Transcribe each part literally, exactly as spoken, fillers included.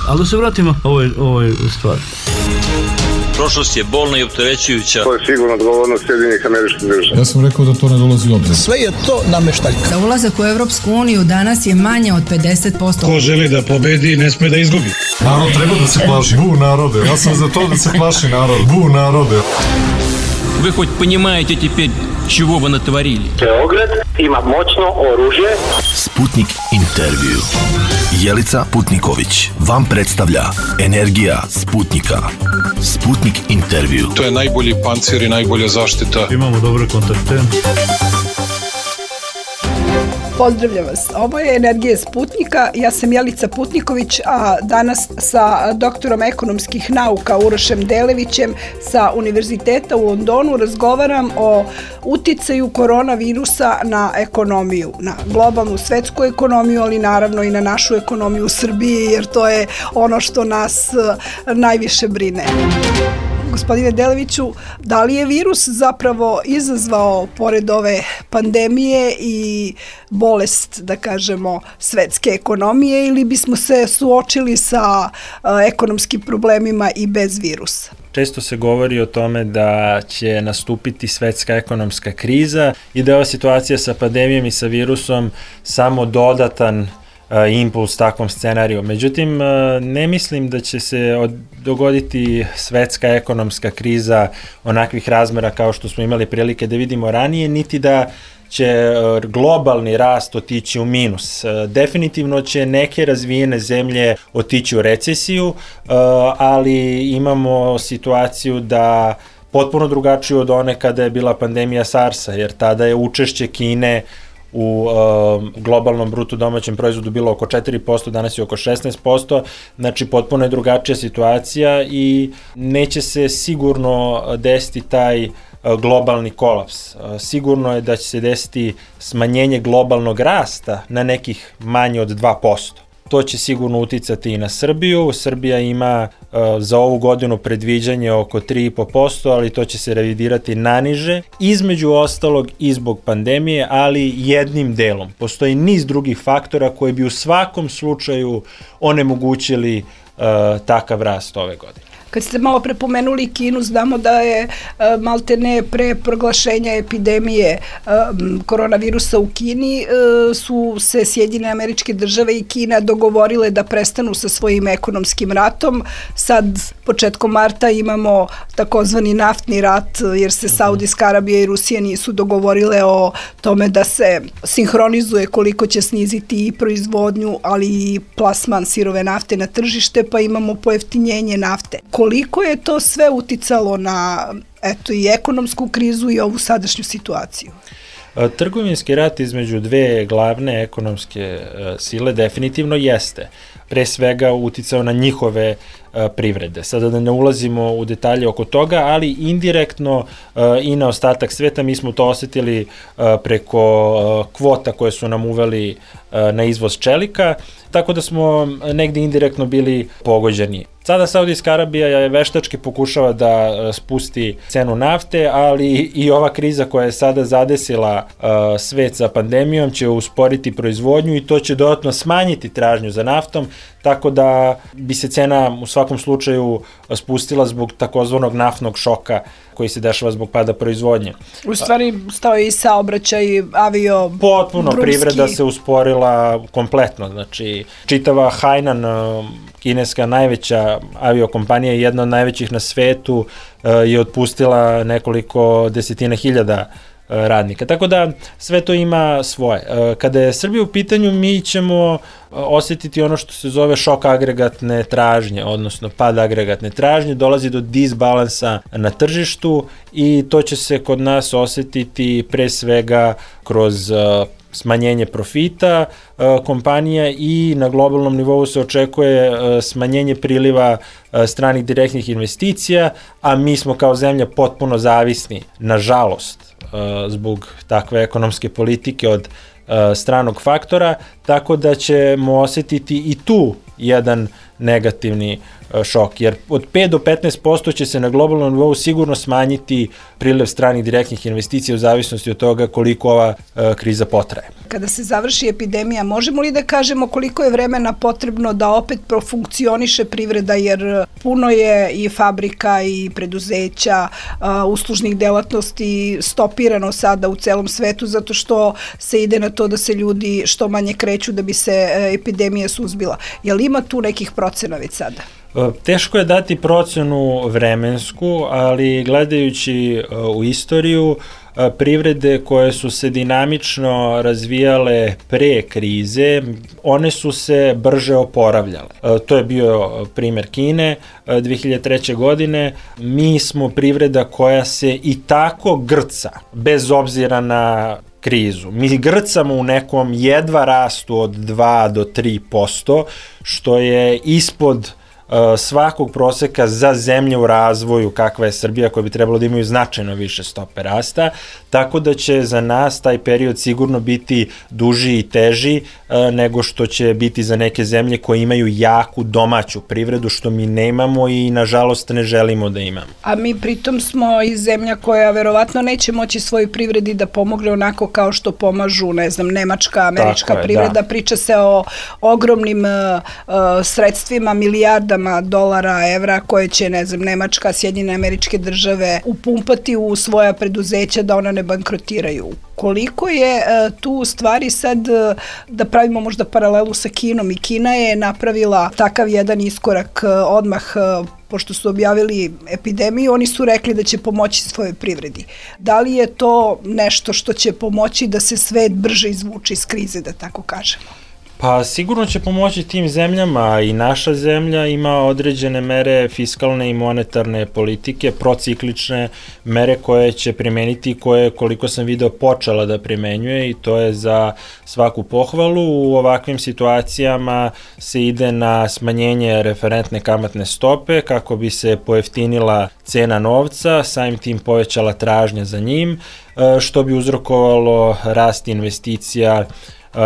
Ali da se vratimo ovoj, ovoj stvari. Prošlost je bolna i opterećujuća. To je sigurno odgovornost Sjedinjenih Američkih Država. Ja sam rekao da to ne dolazi u obzir. Sve je to nameštaljka. Da ulazak u Evropsku uniju danas je manje od pedeset posto. Ko želi da pobedi, ne sme da izgubi. Narod treba da se plaši. Bu narode. Ja sam za to da se plaši narod. Bu narode. Вы хоть понимаете теперь, чего вы натворили? Beograd ima moćno oružje. Sputnik intervju. Jelica Putniković vam predstavlja Energija Sputnika. Sputnik intervju. To je najbolji pancir i najbolja zaštita. Imamo dobre kontakte. Pozdravljam vas. Ovo je Energija Sputnika. Ja sam Jelica Putniković, a danas sa doktorom ekonomskih nauka Urošem Delevićem sa Univerziteta u Londonu razgovaram o uticaju koronavirusa na ekonomiju, na globalnu svetsku ekonomiju, ali naravno i na našu ekonomiju u Srbiji, jer to je ono što nas najviše brine. Gospodine Deleviću, da li je virus zapravo izazvao, pored ove pandemije i bolest, da kažemo, svetske ekonomije, ili bismo se suočili sa ekonomskim problemima i bez virusa? Često se govori o tome da će nastupiti svetska ekonomska kriza i da je ova situacija sa pandemijom i sa virusom samo dodatan impuls takvom scenariju. Međutim, ne mislim da će se dogoditi svetska ekonomska kriza onakvih razmera kao što smo imali prilike da vidimo ranije, niti da će globalni rast otići u minus. Definitivno će neke razvijene zemlje otići u recesiju, ali imamo situaciju da potpuno drugačiju od one kada je bila pandemija SARS-a, jer tada je učešće Kine u uh, globalnom bruto domaćem proizvodu bilo oko četiri posto, danas je oko šesnaest posto, znači potpuno je drugačija situacija i neće se sigurno desiti taj uh, globalni kolaps. Uh, sigurno je da će se desiti smanjenje globalnog rasta na nekih manje od dva posto. To će sigurno uticati i na Srbiju. Srbija ima uh, za ovu godinu predviđanje oko tri i po posto, ali to će se revidirati naniže, između ostalog i zbog pandemije, ali jednim delom. Postoji niz drugih faktora koji bi u svakom slučaju onemogućili uh, takav rast ove godine. Kad ste malo prepomenuli Kinu, znamo da je maltene pre proglašenja epidemije koronavirusa u Kini su se Sjedinjene Američke Države i Kina dogovorile da prestanu sa svojim ekonomskim ratom. Sad, početkom marta, imamo takozvani naftni rat, jer se Saudijska Arabija i Rusija nisu dogovorile o tome da se sinhronizuje koliko će sniziti i proizvodnju, ali i plasman sirove nafte na tržište, pa imamo pojeftinjenje nafte. Koliko je to sve uticalo na, eto, i ekonomsku krizu i ovu sadašnju situaciju? Trgovinski rat između dve glavne ekonomske sile definitivno jeste. Pre svega uticao na njihove privrede. Sada da ne ulazimo u detalje oko toga, ali indirektno i na ostatak sveta mi smo to osetili preko kvota koje su nam uveli na izvoz čelika, tako da smo negde indirektno bili pogođeni. Sada Saudijska Arabija je veštački pokušava da spusti cenu nafte, ali i ova kriza koja je sada zadesila svet sa pandemijom će usporiti proizvodnju i to će dodatno smanjiti tražnju za naftom, tako da bi se cena u svakom slučaju spustila zbog takozvanog naftnog šoka koji se dešava zbog pada proizvodnje. U stvari stao i saobraćaj, avio, potpuno, drumski. Privreda se usporila kompletno, znači čitava Hainan, kineska najveća aviokompanija, jedna od najvećih na svetu, je otpustila nekoliko desetina hiljada radnika. Tako da sve to ima svoje. Kada je Srbija u pitanju, mi ćemo osetiti ono što se zove šok agregatne tražnje, odnosno pad agregatne tražnje, dolazi do disbalansa na tržištu i to će se kod nas osetiti pre svega kroz smanjenje profita kompanija i na globalnom nivou se očekuje smanjenje priliva stranih direktnih investicija, a mi smo kao zemlja potpuno zavisni, nažalost, zbog takve ekonomske politike od stranog faktora, tako da ćemo osetiti i tu jedan negativni šok, jer od pet do petnaest posto će se na globalnom nivou sigurno smanjiti priliv stranih direktnih investicija u zavisnosti od toga koliko ova kriza potraje. Kada se završi epidemija, možemo li da kažemo koliko je vremena potrebno da opet profunkcioniše privreda, jer puno je i fabrika i preduzeća, uslužnih delatnosti stopirano sada u celom svetu zato što se ide na to da se ljudi što manje kreću da bi se epidemija suzbila. Je li ima tu nekih procena već sada? Teško je dati procenu vremensku, ali gledajući u istoriju, privrede koje su se dinamično razvijale pre krize, one su se brže oporavljale. To je bio primer Kine dve hiljade treće. godine. Mi smo privreda koja se i tako grca, bez obzira na krizu. Mi grcamo u nekom jedva rastu od dva do tri posto, što je ispod svakog proseka za zemlje u razvoju kakva je Srbija, koja bi trebalo da imaju značajno više stope rasta, tako da će za nas taj period sigurno biti duži i teži nego što će biti za neke zemlje koje imaju jaku domaću privredu, što mi nemamo i nažalost ne želimo da imamo. A mi pritom smo i zemlja koja verovatno neće moći svojoj privredi da pomogne onako kao što pomažu, ne znam, nemačka, američka je, privreda. Da. Priča se o ogromnim uh, sredstvima, milijarda dolara, evra koje će, ne znam, Nemačka, Sjedinjene Američke Države upumpati u svoja preduzeća da ona ne bankrotiraju. Koliko je uh, tu stvari sad, uh, da pravimo možda paralelu sa Kinom, i Kina je napravila takav jedan iskorak uh, odmah uh, pošto su objavili epidemiju, oni su rekli da će pomoći svojoj privredi. Da li je to nešto što će pomoći da se svet brže izvuče iz krize, da tako kažemo? Pa sigurno će pomoći tim zemljama, i naša zemlja ima određene mere fiskalne i monetarne politike, prociklične mere koje će primeniti, koje, koliko sam video, počela da primenjuje, i to je za svaku pohvalu. U ovakvim situacijama se ide na smanjenje referentne kamatne stope kako bi se pojeftinila cena novca, samim tim povećala tražnja za njim, što bi uzrokovalo rast investicija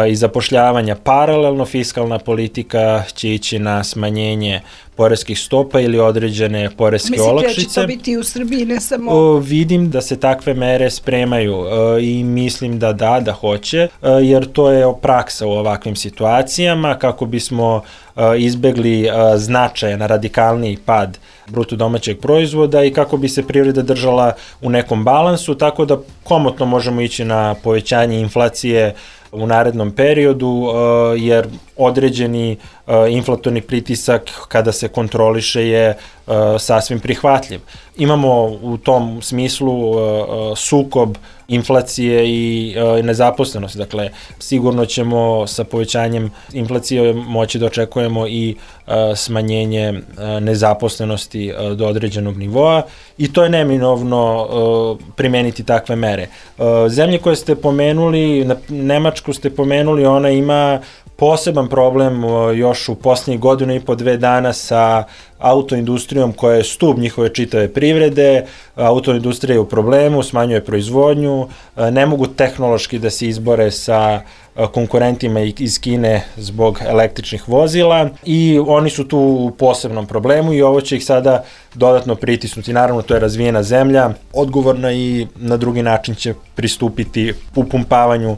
i zapošljavanja. Paralelno fiskalna politika će ići na smanjenje poreskih stopa ili određene poreske Mislite olakšice. Mislite da će to biti u Srbiji, ne samo... O, vidim da se takve mere spremaju o, i mislim da da, da hoće, o, jer to je praksa u ovakvim situacijama, kako bismo o, izbegli o, značajan radikalniji pad bruto domaćeg proizvoda i kako bi se privreda držala u nekom balansu, tako da komotno možemo ići na povećanje inflacije u narednom periodu, jer određeni inflatorni pritisak kada se kontroliše je sasvim prihvatljiv. Imamo u tom smislu sukob inflacije i nezaposlenosti, dakle sigurno ćemo sa povećanjem inflacije moći da očekujemo i smanjenje nezaposlenosti do određenog nivoa, i to je neminovno primeniti takve mere. Zemlje koje ste pomenuli, Nemačku ste pomenuli, ona ima poseban problem još u posljednjih godinu i po dve dana sa autoindustrijom koja je stub njihove čitave privrede. Autoindustrija je u problemu, smanjuje proizvodnju, ne mogu tehnološki da se izbore sa konkurentima iz Kine zbog električnih vozila, i oni su tu u posebnom problemu i ovo će ih sada dodatno pritisnuti. Naravno, to je razvijena zemlja, odgovorna, i na drugi način će pristupiti upumpavanju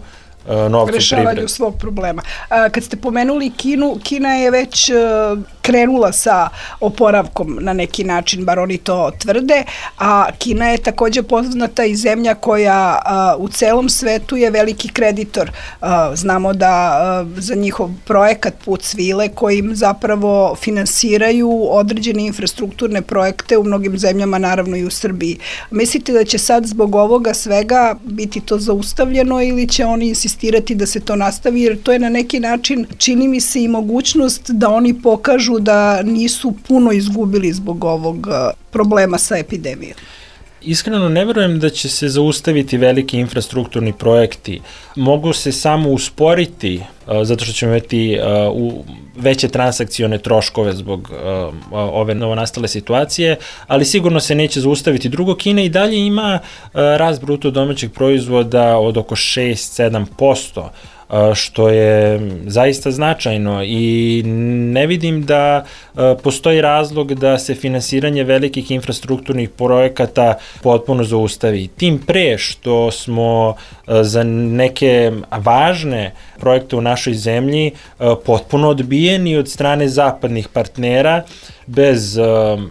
novca u rešavanju svog problema. Kad ste pomenuli Kinu, Kina je već krenula sa oporavkom na neki način, bar oni to tvrde, a Kina je takođe poznata i zemlja koja u celom svetu je veliki kreditor. Znamo da za njihov projekat Put svile, kojim zapravo finansiraju određene infrastrukturne projekte u mnogim zemljama, naravno i u Srbiji. Mislite da će sad zbog ovoga svega biti to zaustavljeno, ili će oni insistirati da se to nastavi, jer to je na neki način, čini mi se, i mogućnost da oni pokažu da nisu puno izgubili zbog ovog problema sa epidemijom? Iskreno ne verujem da će se zaustaviti veliki infrastrukturni projekti. Mogu se samo usporiti zato što ćemo imati veće transakcione troškove zbog ove novonastale situacije, ali sigurno se neće zaustaviti. Drugo, Kina i dalje ima rast bruto domaćeg proizvoda od oko šest do sedam posto. što je zaista značajno i ne vidim da postoji razlog da se finansiranje velikih infrastrukturnih projekata potpuno zaustavi. Tim pre što smo za neke važne projekte u našoj zemlji potpuno odbijeni od strane zapadnih partnera bez uh, uh,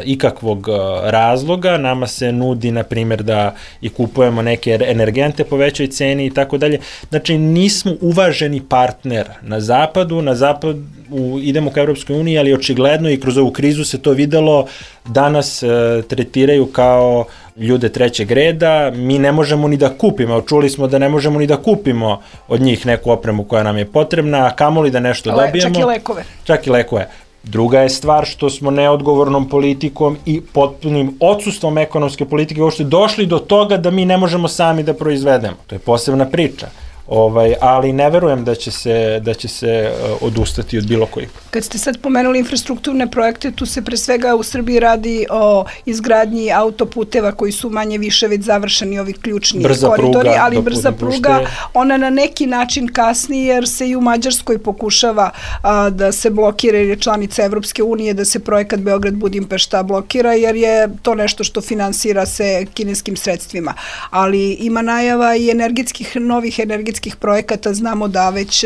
ikakvog uh, razloga. Nama se nudi, na primjer, da i kupujemo neke energente po većoj ceni i tako dalje. Znači, nismo uvaženi partner na zapadu, na zapad u, idemo ka Evropskoj uniji, ali očigledno i kroz ovu krizu se to videlo, da nas uh, tretiraju kao ljude trećeg reda, mi ne možemo ni da kupimo, čuli smo da ne možemo ni da kupimo od njih neku opremu koja nam je potrebna, a kamoli da nešto Le, dobijemo. Čak i lekove. Čak i lekove. Druga je stvar što smo neodgovornom politikom i potpunim odsustvom ekonomske politike uopšte došli do toga da mi ne možemo sami da proizvedemo. To je posebna priča. Ovaj, ali ne verujem da će se, da će se uh, odustati od bilo kojih. Kad ste sad pomenuli infrastrukturne projekte, tu se pre svega u Srbiji radi o izgradnji autoputeva koji su manje više već završeni, ovi ključni brza koridori, pruga, ali brza pruga, pušte. Ona na neki način kasni jer se i u Mađarskoj pokušava a, da se blokira, jer je članica Evropske unije, da se projekat Beograd-Budimpešta blokira, jer je to nešto što finansira se kineskim sredstvima. Ali ima najava i energetskih, novih energetskih projekata. Znamo da već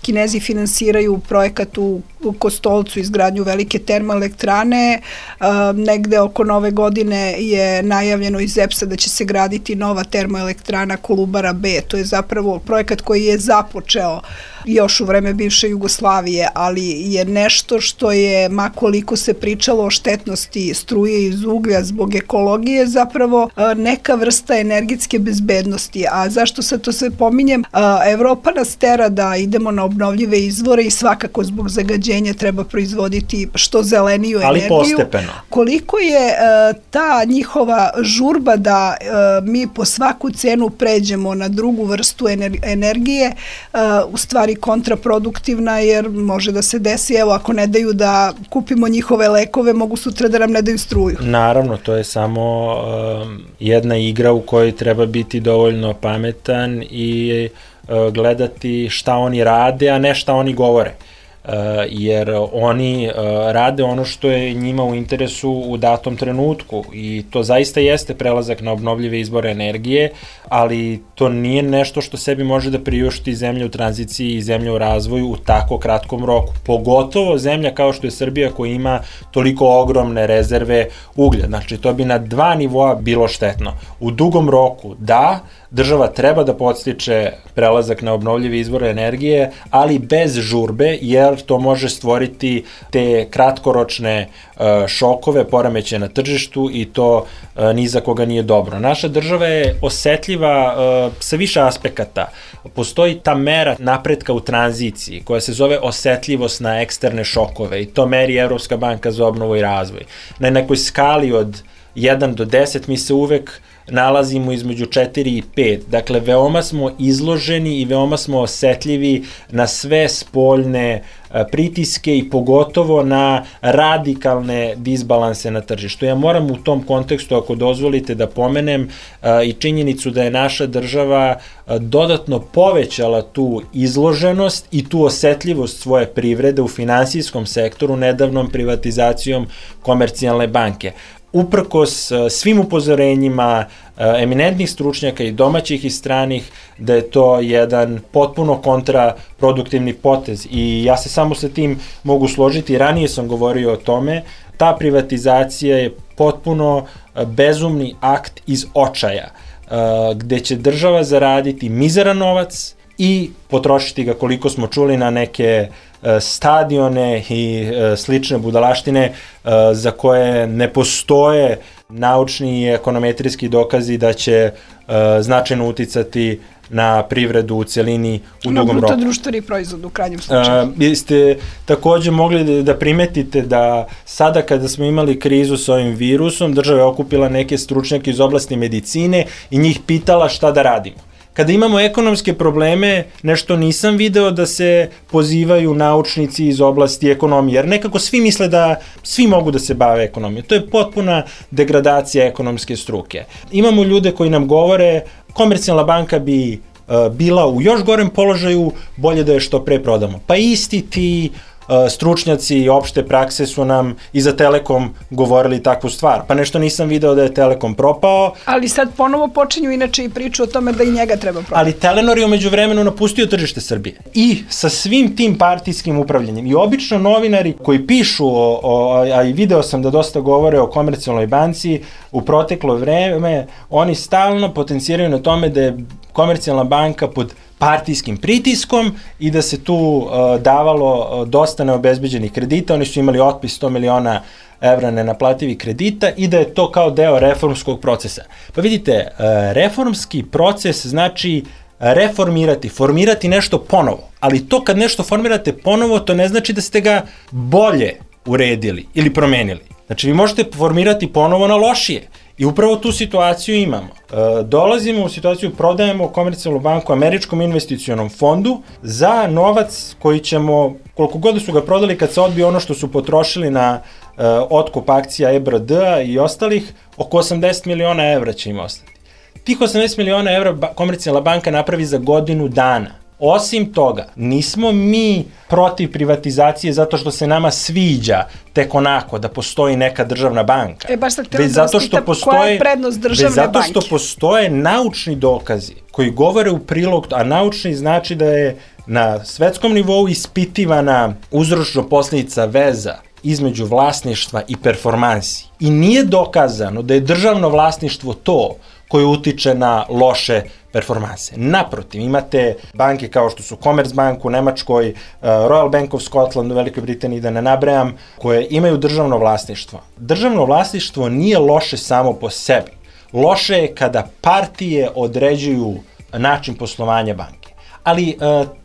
Kinezi finansiraju projekat u Kostolcu, izgradnju velike termoelektrane. Negde oko nove godine je najavljeno iz E P S-a da će se graditi nova termoelektrana Kolubara B. To je zapravo projekat koji je započeo još u vreme bivše Jugoslavije, ali je nešto što je, ma koliko se pričalo o štetnosti struje iz uglja zbog ekologije, zapravo neka vrsta energetske bezbednosti. A zašto sad to sve pominjem? Evropa nas tera da idemo na obnovljive izvore i svakako zbog zagađenja treba proizvoditi što zeleniju energiju. Ali postepeno. Koliko je ta njihova žurba da mi po svaku cenu pređemo na drugu vrstu energije, u stvari kontraproduktivna, jer može da se desi, evo, ako ne daju da kupimo njihove lekove, mogu sutra da nam ne daju struju. Naravno, to je samo um, jedna igra u kojoj treba biti dovoljno pametan i uh, gledati šta oni rade, a ne šta oni govore. Uh, jer oni uh, rade ono što je njima u interesu u datom trenutku i to zaista jeste prelazak na obnovljive izvore energije, ali to nije nešto što sebi može da priušti zemlja u tranziciji i zemlja u razvoju u tako kratkom roku. Pogotovo zemlja kao što je Srbija koja ima toliko ogromne rezerve uglja. Znači, to bi na dva nivoa bilo štetno. U dugom roku, da, država treba da podstiče prelazak na obnovljive izvore energije, ali bez žurbe, jer to može stvoriti te kratkoročne uh, šokove, poremećaje na tržištu i to uh, ni za koga nije dobro. Naša država je osetljiva uh, sa više aspekata. Postoji ta mera napretka u tranziciji koja se zove osetljivost na eksterne šokove i to meri Evropska banka za obnovu i razvoj. Na nekoj skali od jedan do deset mi se uvek nalazimo između četiri i pet. Dakle, veoma smo izloženi i veoma smo osetljivi na sve spoljne pritiske i pogotovo na radikalne disbalanse na tržištu. Ja moram u tom kontekstu, ako dozvolite, da pomenem i činjenicu da je naša država dodatno povećala tu izloženost i tu osetljivost svoje privrede u finansijskom sektoru nedavnom privatizacijom Komercijalne banke. Uprkos svim upozorenjima eminentnih stručnjaka i domaćih i stranih da je to jedan potpuno kontraproduktivni potez i ja se samo sa tim mogu složiti, ranije sam govorio o tome, ta privatizacija je potpuno bezumni akt iz očaja, gde će država zaraditi mizeran novac i potrošiti ga, koliko smo čuli, na neke stadione i slične budalaštine za koje ne postoje naučni i ekonometrijski dokazi da će značajno uticati na privredu u celini u na dugom roku. Na bruto društveni proizvod u krajnjem slučaju. Vi ste takođe mogli da primetite da sada kada smo imali krizu sa ovim virusom, država je okupila neke stručnjake iz oblasti medicine i njih pitala šta da radimo. Kada imamo ekonomske probleme, nešto nisam video da se pozivaju naučnici iz oblasti ekonomije, jer nekako svi misle da svi mogu da se bave ekonomijom. To je potpuna degradacija ekonomske struke. Imamo ljude koji nam govore, Komercijalna banka bi bila u još gorem položaju, bolje da je što pre prodamo. Pa isti ti stručnjaci opšte prakse su nam i za Telekom govorili takvu stvar. Pa nešto nisam video da je Telekom propao. Ali sad ponovo počinju inače i priču o tome da i njega treba prodati. Ali Telenor je umeđu vremenu napustio tržište Srbije. I sa svim tim partijskim upravljanjem. I obično novinari koji pišu, o, o, a i video sam da dosta govore o Komercijalnoj banci, u proteklo vreme, oni stalno potenciraju na tome da je Komercijalna banka pod partijskim pritiskom i da se tu uh, davalo uh, dosta neobezbeđenih kredita. Oni su imali otpis sto miliona evra nenaplativih kredita i da je to kao deo reformskog procesa. Pa vidite, uh, reformski proces znači reformirati, formirati nešto ponovo. Ali to kad nešto formirate ponovo, to ne znači da ste ga bolje uredili ili promenili. Znači vi možete formirati ponovo na lošije. I upravo tu situaciju imamo. E, dolazimo u situaciju, prodajemo Komercijalnu banku Američkom investicionom fondu za novac koji ćemo, koliko god su ga prodali kad se odbije ono što su potrošili na e, otkup akcija E B R D-a i ostalih, oko osamdeset miliona evra će im ostati. Tih osamdeset miliona evra ba, Komercijalna banka napravi za godinu dana. Osim toga, nismo mi protiv privatizacije zato što se nama sviđa tek onako da postoji neka državna banka. E, baš sad htjela da vas pitam, koja je prednost državne banke? Zato što postoje naučni dokazi koji govore u prilog, a naučni znači da je na svetskom nivou ispitivana uzročno-posljedica veza između vlasništva i performansi. I nije dokazano da je državno vlasništvo to koje utiče na loše performanse. Naprotiv, imate banke kao što su Commerzbank u Nemačkoj, Royal Bank of Scotland u Velikoj Britaniji, da ne nabrajam, koje imaju državno vlasništvo. Državno vlasništvo nije loše samo po sebi. Loše je kada partije određuju način poslovanja banke. Ali e,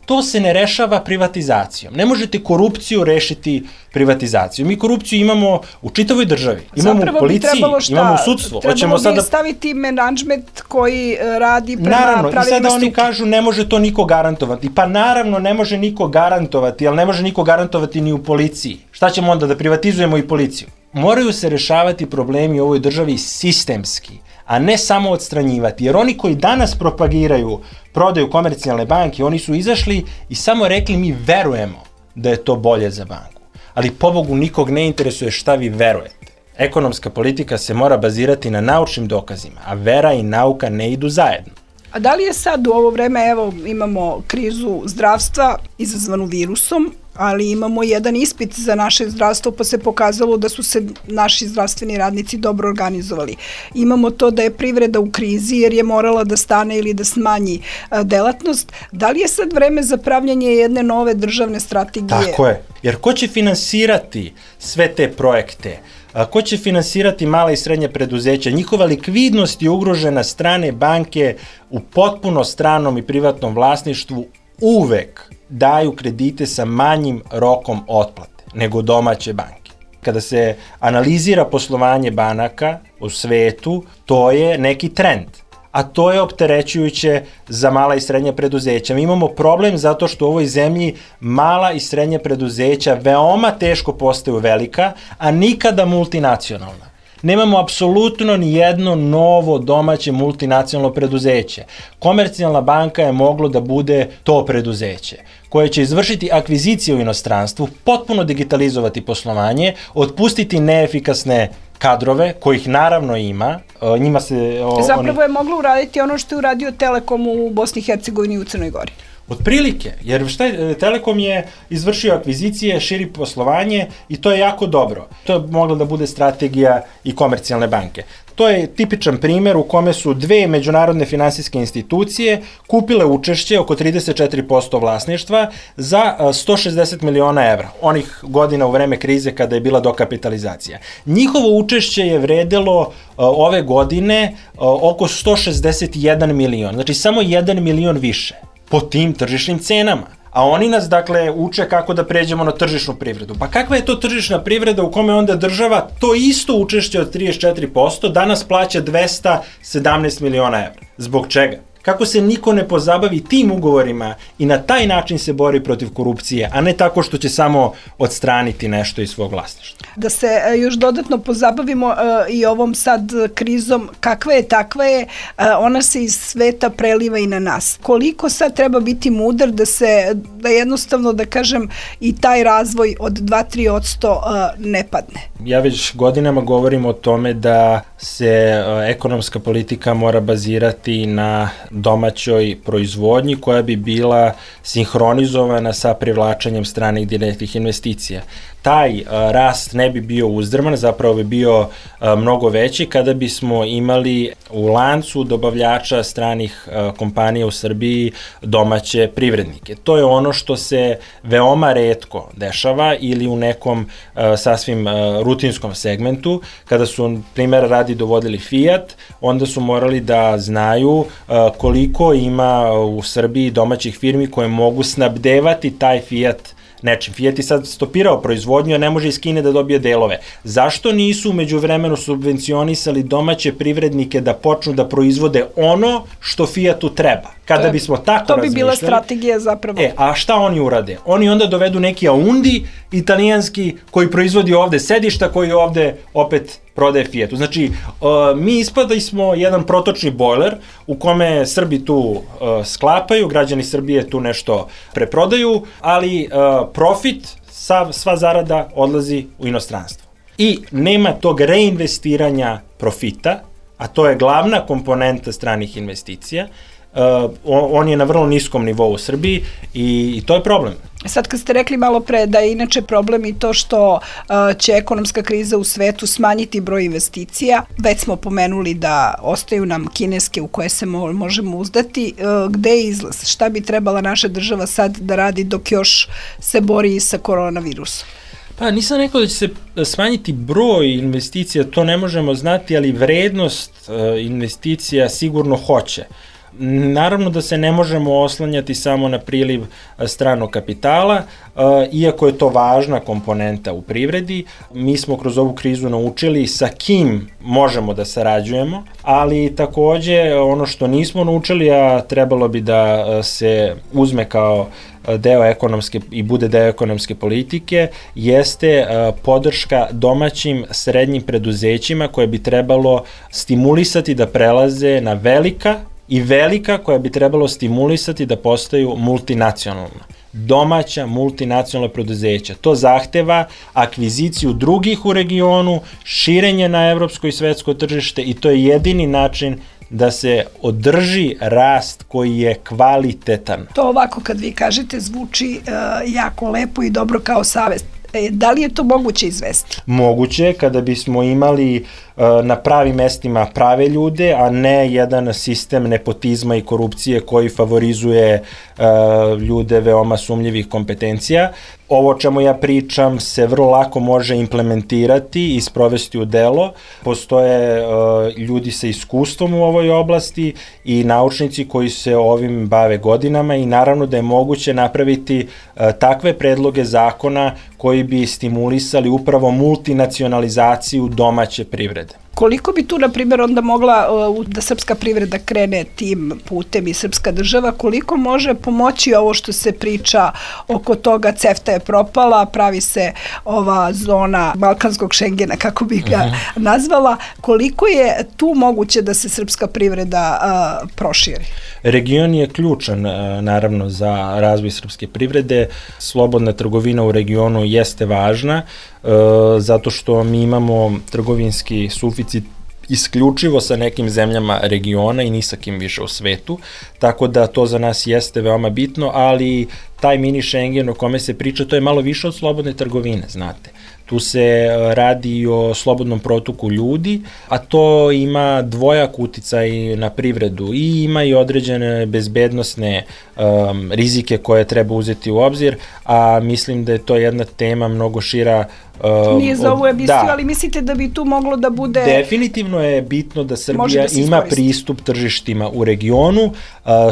to se ne rešava privatizacijom. Ne možete korupciju rešiti privatizacijom. Mi korupciju imamo u čitavoj državi. Imamo Zapravo u policiji, imamo u sudstvu. Trebalo bi sada staviti menadžment koji radi prema naravno, pravilima struke. Naravno, i sada oni struke. kažu ne može to niko garantovati. Pa naravno ne može niko garantovati, ali ne može niko garantovati ni u policiji. Šta ćemo onda, da privatizujemo i policiju? Moraju se rešavati problemi u ovoj državi sistemski, a ne samo odstranjivati. Jer oni koji danas propagiraju prodaju Komercijalne banke, oni su izašli i samo rekli mi verujemo da je to bolje za banku. Ali pobogu nikog ne interesuje šta vi verujete. Ekonomska politika se mora bazirati na naučnim dokazima, a vera i nauka ne idu zajedno. A da li je sad u ovo vreme, evo imamo krizu zdravstva izazvanu virusom, ali imamo jedan ispit za naše zdravstvo, pa se pokazalo da su se naši zdravstveni radnici dobro organizovali. Imamo to da je privreda u krizi jer je morala da stane ili da smanji a, delatnost. Da li je sad vreme za pravljanje jedne nove državne strategije? Tako je, jer ko će finansirati sve te projekte? A, ko će finansirati mala i srednja preduzeća? Njihova likvidnost je ugrožena, strane banke u potpuno stranom i privatnom vlasništvu uvek daju kredite sa manjim rokom otplate nego domaće banke. Kada se analizira poslovanje banaka u svetu, to je neki trend, a to je opterećujuće za mala i srednja preduzeća. Mi imamo problem zato što u ovoj zemlji mala i srednja preduzeća veoma teško postaju velika, a nikada multinacionalna. Nemamo apsolutno ni jedno novo domaće multinacionalno preduzeće. Komercijalna banka je moglo da bude to preduzeće koje će izvršiti akvizicije u inostranstvu, potpuno digitalizovati poslovanje, otpustiti neefikasne kadrove, kojih naravno ima, njima se... O, Zapravo oni... je moglo uraditi ono što je uradio Telekom u Bosni i Hercegovini i u Crnoj Gori. Otprilike, jer šta je, Telekom je izvršio akvizicije, širi poslovanje i to je jako dobro. To je mogla da bude strategija i Komercijalne banke. To je tipičan primer u kome su dve međunarodne finansijske institucije kupile učešće oko trideset četiri posto vlasništva za sto šezdeset miliona evra, onih godina u vreme krize kada je bila dokapitalizacija. Njihovo učešće je vredelo uh, ove godine uh, oko sto šezdeset jedan milion, znači samo jedan milion više po tim tržišnim cenama. A oni nas, dakle, uče kako da pređemo na tržišnu privredu. Pa kakva je to tržišna privreda u kome onda država to isto učešće od trideset četiri posto danas plaća dvesta sedamnaest miliona evra? Zbog čega? Kako se niko ne pozabavi tim ugovorima i na taj način se bori protiv korupcije, a ne tako što će samo odstraniti nešto iz svog vlasništva. Da se još dodatno pozabavimo uh, i ovom sad krizom, kakva je, takva je, uh, ona se iz sveta preliva i na nas. Koliko sad treba biti mudar da se, da jednostavno, da kažem, i taj razvoj od dva do tri posto uh, ne padne? Ja već godinama govorim o tome da se uh, ekonomska politika mora bazirati na domaćoj proizvodnji koja bi bila sinhronizovana sa privlačenjem stranih direktnih investicija. Taj uh, rast ne bi bio uzdrman, zapravo bi bio uh, mnogo veći kada bismo imali u lancu dobavljača stranih uh, kompanija u Srbiji domaće privrednike. To je ono što se veoma retko dešava ili u nekom uh, sasvim uh, rutinskom segmentu. Kada su, primjer radi, dovodili Fiat, onda su morali da znaju uh, koliko ima u Srbiji domaćih firmi koje mogu snabdevati taj Fiat nečim. Fiat je sad stopirao proizvodnju, a ne može iz Kine da dobije delove. Zašto nisu umeđu vremenu subvencionisali domaće privrednike da počnu da proizvode ono što Fiatu treba? Kada to, bismo tako to bi razmišljali... bila strategija zapravo. E, a šta oni urade? Oni onda dovedu neki Audi italijanski koji proizvodi ovde sedišta, koji ovde opet prodaje Fiatu. Znači, uh, mi ispada smo jedan protočni bojler u kome Srbi tu uh, sklapaju, građani Srbije tu nešto preprodaju, ali uh, profit, sav, sva zarada odlazi u inostranstvo. I nema tog reinvestiranja profita, a to je glavna komponenta stranih investicija. Uh, on je na vrlo niskom nivou u Srbiji i, i to je problem. Sad kad ste rekli malo pre da je inače problem i to što uh, će ekonomska kriza u svetu smanjiti broj investicija, već smo pomenuli da ostaju nam kineske u koje se mo možemo uzdati, uh, gde je izlaz? Šta bi trebala naša država sad da radi dok još se bori sa koronavirusom? Pa nisam rekao da će se smanjiti broj investicija, to ne možemo znati, ali vrednost uh, investicija sigurno hoće. Naravno da se ne možemo oslanjati samo na priliv stranog kapitala, iako je to važna komponenta u privredi. Mi smo kroz ovu krizu naučili sa kim možemo da sarađujemo, ali takođe ono što nismo naučili, a trebalo bi da se uzme kao deo ekonomske i bude deo ekonomske politike, jeste podrška domaćim srednjim preduzećima koje bi trebalo stimulisati da prelaze na velika i velika koja bi trebalo stimulisati da postaju multinacionalna. Domaća multinacionalna preduzeća. To zahteva akviziciju drugih u regionu, širenje na evropsko i svetsko tržište i to je jedini način da se održi rast koji je kvalitetan. To ovako kad vi kažete zvuči uh, jako lepo i dobro kao savest. E, da li je to moguće izvesti? Moguće, kada bismo imali uh, na pravim mestima prave ljude, a ne jedan sistem nepotizma i korupcije koji favorizuje uh, ljude veoma sumnjivih kompetencija. Ovo o čemu ja pričam se vrlo lako može implementirati i sprovesti u delo. Postoje uh, ljudi sa iskustvom u ovoj oblasti i naučnici koji se ovim bave godinama i naravno da je moguće napraviti uh, takve predloge zakona koji bi stimulisali upravo multinacionalizaciju domaće privrede. Koliko bi tu, na primjer, onda mogla uh, da srpska privreda krene tim putem i srpska država, koliko može pomoći ovo što se priča oko toga, CEFTA je propala, pravi se ova zona balkanskog Šengena, kako bih ga uh-huh. nazvala, koliko je tu moguće da se srpska privreda uh, proširi? Region je ključan, uh, naravno, za razvoj srpske privrede. Slobodna trgovina u regionu jeste važna, uh, zato što mi imamo trgovinski suficit isključivo sa nekim zemljama regiona i ni sa kim više u svetu, tako da to za nas jeste veoma bitno, ali taj mini Schengen o kome se priča, to je malo više od slobodne trgovine, znate. Tu se radi o slobodnom protoku ljudi, a to ima dvojak uticaj na privredu i ima i određene bezbednosne um, rizike koje treba uzeti u obzir, a mislim da je to jedna tema mnogo šira. Uh, Nije za ovu emisiju, da, ali mislite da bi tu moglo da bude... Definitivno je bitno da Srbija da ima pristup tržištima u regionu. Uh,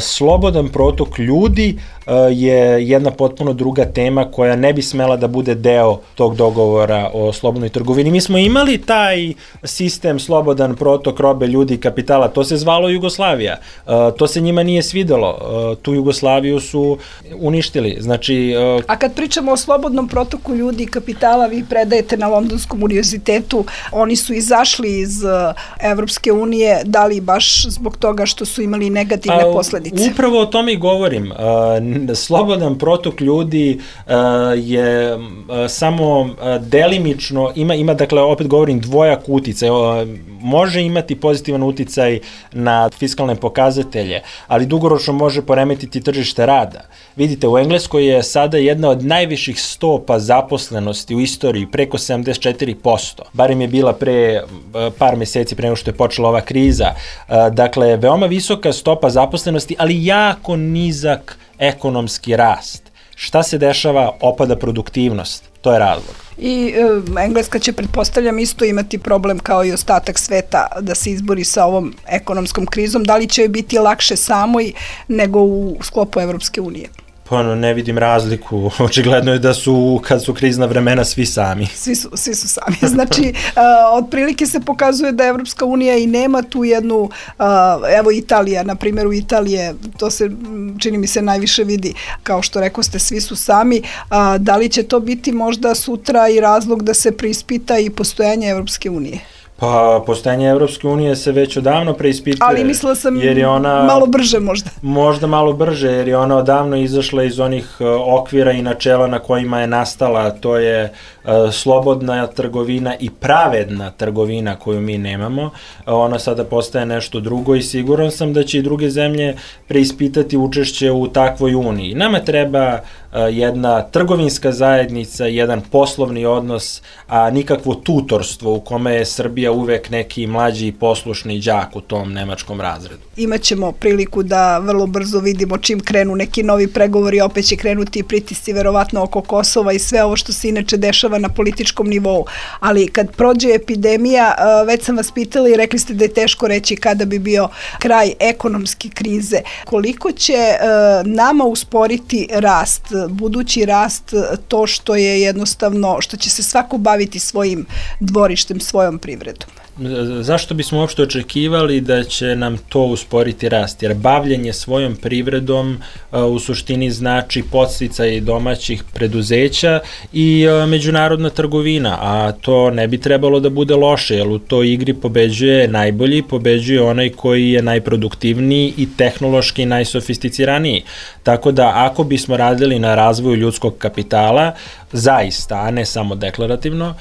slobodan protok ljudi uh, je jedna potpuno druga tema koja ne bi smela da bude deo tog dogovora o slobodnoj trgovini. Mi smo imali taj sistem slobodan protok robe, ljudi i kapitala, to se zvalo Jugoslavija. To se njima nije svidelo. Tu Jugoslaviju su uništili. Znači, a kad pričamo o slobodnom protoku ljudi i kapitala, vi predajete na Londonskom univerzitetu, oni su izašli iz Evropske unije, da li baš zbog toga što su imali negativne a, posledice? Upravo o tome i govorim. Slobodan protok ljudi je samo delimično, ima, ima dakle, opet govorim, dvojak uticaj. Može imati pozitivan uticaj na fiskalne pokazatelje, ali dugoročno može poremetiti tržište rada. Vidite, u Engleskoj je sada jedna od najviših stopa zaposlenosti u istoriji, preko sedamdeset četiri posto. Barem je bila pre par meseci, pre nego što je počela ova kriza. Dakle, veoma visoka stopa zaposlenosti, ali jako nizak ekonomski rast. Šta se dešava? Opada produktivnost. To je razlog. I e, Engleska će, pretpostavljam, isto imati problem kao i ostatak sveta da se izbori sa ovom ekonomskom krizom. Da li će joj biti lakše samoj nego u sklopu Evropske unije? Pa no, ne vidim razliku. Očigledno je da su, kad su krizna vremena, svi sami. Svi su, svi su sami. Znači, uh, otprilike se pokazuje da Evropska unija i nema tu jednu, uh, evo Italija, na primjer u Italije, to se, čini mi se, najviše vidi, kao što rekao ste, svi su sami. Uh, da li će to biti možda sutra i razlog da se preispita i postojanje Evropske unije? Pa, postojanje Evropske unije se već odavno preispituje. Ali mislila sam jer je ona, malo brže možda. Možda malo brže, jer je ona odavno izašla iz onih uh, okvira i načela na kojima je nastala. To je uh, slobodna trgovina i pravedna trgovina koju mi nemamo. Uh, ona sada postaje nešto drugo i siguran sam da će i druge zemlje preispitati učešće u takvoj uniji. Nama treba uh, jedna trgovinska zajednica, jedan poslovni odnos, a nikakvo tutorstvo u kome je Srbija uvek neki mlađi i poslušni đak u tom nemačkom razredu. Imaćemo priliku da vrlo brzo vidimo čim krenu neki novi pregovori, opet će krenuti pritisci verovatno oko Kosova i sve ovo što se inače dešava na političkom nivou. Ali kad prođe epidemija, već sam vas pitala i rekli ste da je teško reći kada bi bio kraj ekonomske krize. Koliko će nama usporiti rast, budući rast, to što je jednostavno, što će se svako baviti svojim dvorištem, svojom privredom? Zašto bismo uopšte očekivali da će nam to usporiti rast? Jer bavljenje svojom privredom uh, u suštini znači podsticaj domaćih preduzeća i uh, međunarodna trgovina, a to ne bi trebalo da bude loše, jer u toj igri pobeđuje najbolji, pobeđuje onaj koji je najproduktivniji i tehnološki najsofisticiraniji. Tako da ako bismo radili na razvoju ljudskog kapitala, zaista, a ne samo deklarativno, uh,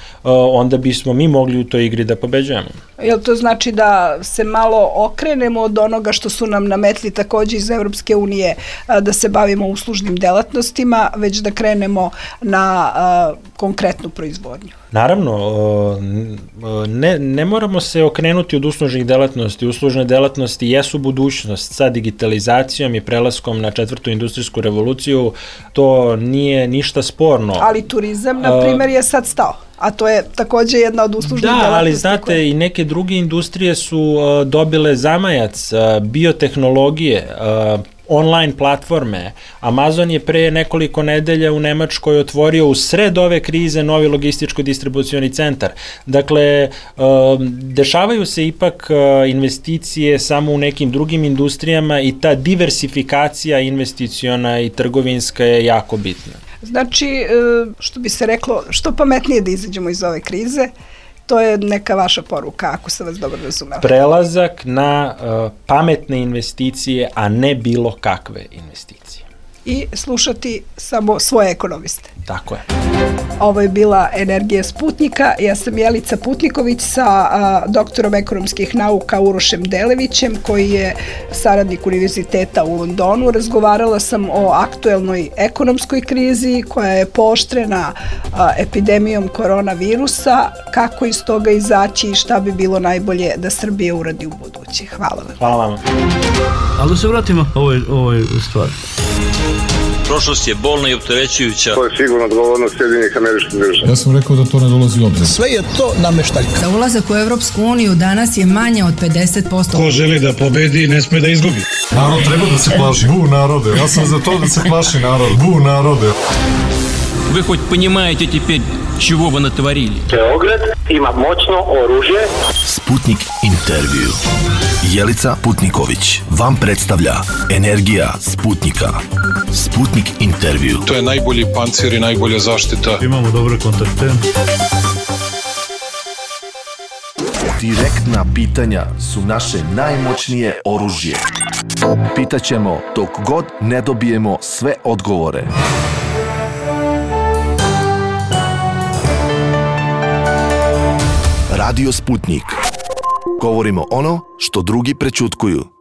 onda bismo mi mogli u toj igri da pobeđujemo. Jel to znači da se malo okrenemo od onoga što su nam nametli takođe iz Evropske unije, da se bavimo uslužnim delatnostima, već da krenemo na a, konkretnu proizvodnju? Naravno, ne, ne moramo se okrenuti od uslužnih delatnosti. Uslužne delatnosti jesu budućnost. Sa digitalizacijom i prelaskom na četvrtu industrijsku revoluciju to nije ništa sporno. Ali turizam, na primjer, je sad stao. A to je takođe jedna od uslužnih da, delatnosti. Da, ali znate, koje... i neke druge industrije su uh, dobile zamajac, uh, biotehnologije, uh, online platforme. Amazon je pre nekoliko nedelja u Nemačkoj otvorio u sred ove krize novi logističko-distribucioni centar. Dakle, dešavaju se ipak investicije samo u nekim drugim industrijama i ta diversifikacija investiciona i trgovinska je jako bitna. Znači, što bi se reklo, što pametnije da izađemo iz ove krize, to je neka vaša poruka, ako sam vas dobro razumela. Prelazak na uh, pametne investicije, a ne bilo kakve investicije. I slušati samo svoje ekonomiste. Tako je. Ovo je bila Energija Sputnika. Ja sam Jelica Putniković sa a, doktorom ekonomskih nauka Urošem Delevićem, koji je saradnik univerziteta u Londonu. Razgovarala sam o aktuelnoj ekonomskoj krizi koja je pooštrena a, epidemijom koronavirusa, kako iz toga izaći i šta bi bilo najbolje da Srbija uradi u budući. Hvala vam. Hvala vam. Ali da se vratimo ovoj, ovoj stvari. Prošlost je bolna i opterećujuća. To je sigurno odgovornost Sjedinjenih Američkih Država. Ja sam rekao da to ne dolazi u obzir. Sve je to nameštaljka. Za ulazak u Evropsku uniju danas je manje od pedeset posto. Ko želi da pobedi, ne sme da izgubi. Narod treba da se plaši. Bu narode. Ja sam za to da se plaši narod. Bu narode. Вы хоть понимаете теперь, чего вы натворили? Beograd ima moćno oružje. Sputnik intervju. Jelica Putniković vam predstavlja Energija Sputnika. Sputnik intervju. To je najbolji pancir i najbolja zaštita. Imamo dobre kontakte. Direktna pitanja su naše najmoćnije oružje. Pitaćemo dok god ne dobijemo sve odgovore. Radio Sputnik. Govorimo ono što drugi prećutkuju.